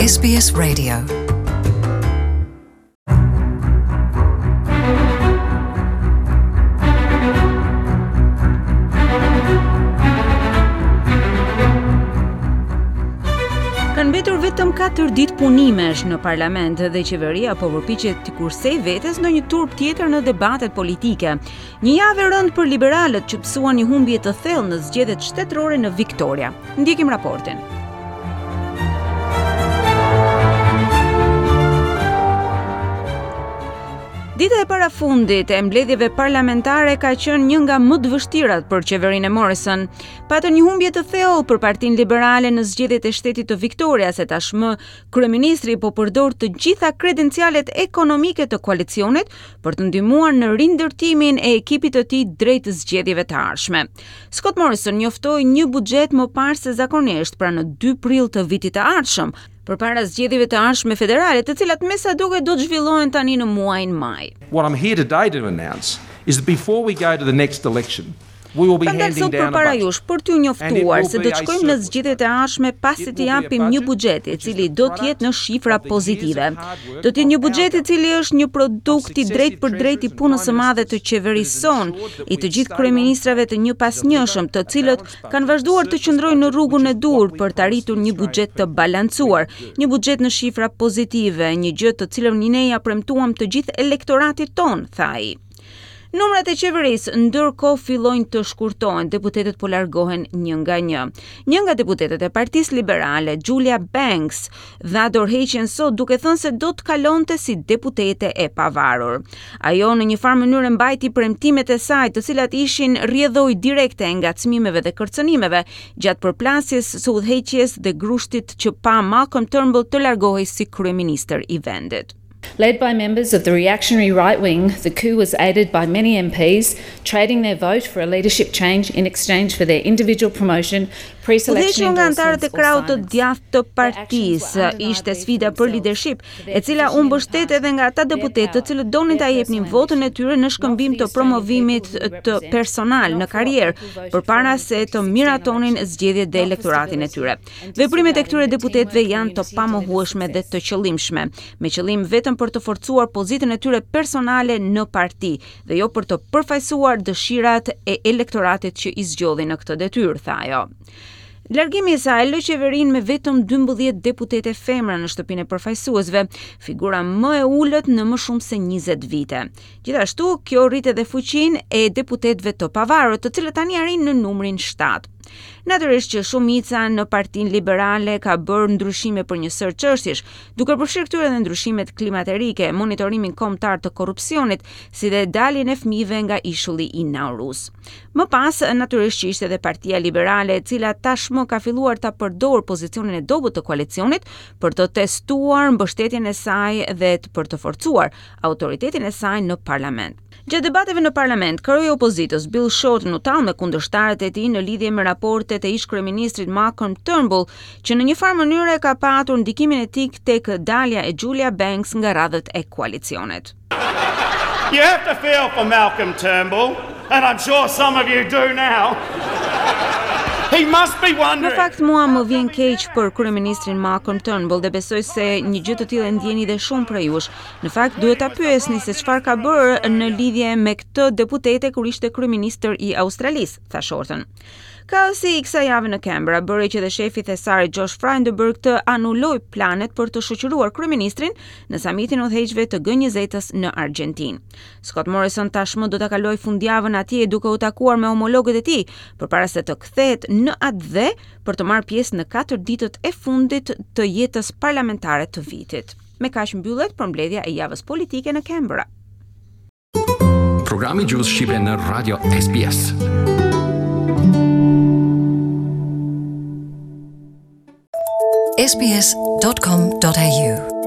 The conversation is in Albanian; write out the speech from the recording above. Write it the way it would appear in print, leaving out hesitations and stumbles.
SBS Radio. Kanë mbetur vetëm 4 ditë punimesh në parlament dhe qeveria po përpiqet t'i kursejë vetes ndonjë turp tjetër në debatet politike. Një javë e rëndë për liberalët që pësuan një humbje të thellë në zgjedhjet shtetërore në Victoria. Ndjekim raportin. Dita e parafundit e mbledhjeve parlamentare ka qenë një nga më të vështirat për qeverinë e Morrison. Patën një humbje të thellë për Partinë Liberale në zgjedhjet e shtetit të Victorias e tashmë kryeministri po përdor të gjitha kredencialet ekonomike të koalicionit për të ndihmuar në rindërtimin e ekipit të tij drejt zgjedhjeve të ardhshme. Scott Morrison njoftoi një buxhet më parë se zakonisht, pra në 2 prill të vitit të ardhshëm, përpara zgjedhjeve të ardhshme federale, të cilat me sa duket do të zhvillohen tani në muajin maj. What I'm here today to announce is that before we go to the next election, Kam dalë sot përpara jush për t'ju njoftuar se do të shkojmë në zgjedhjet e ardhshme pasi të japim një buxhet i cili do të jetë në shifra pozitive. Do të jetë një buxhet i cili është një produkt i drejtpërdrejtë i punës së madhe të qeverisë sonë, i të gjithë kryeministrave të njëpasnjëshëm, të cilët kanë vazhduar të qëndrojnë në rrugën e duhur për të arritur një buxhet të balancuar, një buxhet në shifra pozitive, një gjë të cilën ne ia premtuam të gjithë elektoratit tonë, tha ai. Numrat e qeverisë ndërkohë fillojnë të shkurtohen, deputetët po largohen një nga një. Një nga deputetët e Partisë Liberale, Julia Banks, dha dorëheqjen sot duke thënë se do të kalonte si deputete e pavarur. Ajo në një farë mënyre mbajti premtimet e saj, të cilat ishin rrjedhojë direkte e ngacmimeve dhe kërcënimeve gjatë përplasjes së udhëheqjes dhe grushtit që pa Malcolm Turnbull të largohej si kryeministër i vendit. Led by members of the reactionary right wing, the coup was aided by many MPs, trading their vote for a leadership change in exchange for their individual promotion, pre-selection Udhëhequr nga anëtarët e krahut të djathtë të partisë, ishte sfida për leadership, e cila u mbështet edhe nga ata deputetë të cilët donin ta jepnin votën e tyre në shkëmbim të promovimit të personal në karrierë, përpara se të miratonin zgjedhjet dhe elektoratin e tyre. Veprimet e këtyre deputetëve janë të pamohueshme dhe të qëllimshme, me qëllim vetëm për të forcuar pozitën e tyre personale në parti dhe jo për të përfaqësuar dëshirat e elektoratit që i zgjodhi në këtë detyrë, tha ajo. Largimi i saj lë qeverinë me vetëm 12 deputete femra në shtëpinë e përfaqësuesve, figura më e ulët në më shumë se 20 vite. Gjithashtu, kjo rrit edhe fuqinë e deputetëve të pavarur, të cilët tani arrijnë në numrin 7. Natyrisht që shumica në Partinë Liberale ka bërë ndryshime për një sërë çështjesh, duke përfshirë këtu edhe ndryshimet klimaterike, monitorimin kombëtar të korrupsionit, si dhe daljen e fëmijëve nga ishulli i Naurus. Më pas, natyrisht që ishte edhe Partia Liberale, e cila tashmë ka filluar ta përdorë pozicionin e dobët të koalicionit për të testuar mbështetjen e saj dhe për të forcuar autoritetin e saj në parlament. Gjatë debateve në parlament, kreu i opozitës Bill Shorten u tall me kundërshtarët e tij në lidhje me raportet e ish-kryeministrit Malcolm Turnbull, që në një farë mënyre ka patur ndikimin e tij tek dalja e Julia Banks nga radhët e koalicionit. You have to feel for Malcolm Turnbull, and I'm sure some of you do now. He must be wondering. Në fakt mua më vjen keq për kryeministrin Malcolm Turnbull dhe besoj se një gjë të tillë e ndjeni dhe shumë prej jush. Në fakt duhet ta pyesni se çfarë ka bërë në lidhje me këtë deputete kur ishte kryeministër i Australisë, tha Shorten. Kaosi i kësaj jave në Canberra bëri që dhe shefi i thesarit Josh Frydenberg të anulojë planet për të shoqëruar kryeministrin në samitin e udhëheqësve të G20-s në Argjentinë. Scott Morrison tashmë do ta kalojë fundjavën atje duke u takuar me homologët e tij, përpara se të kthehet në atdhe për të marrë pjesë në katër ditët e fundit të jetës parlamentare të vitit. Me kaq mbyllet përmbledhja e javës politike në Canberra. Programi i Gjuhës Shqipe në Radio SBS. sbs.com.au.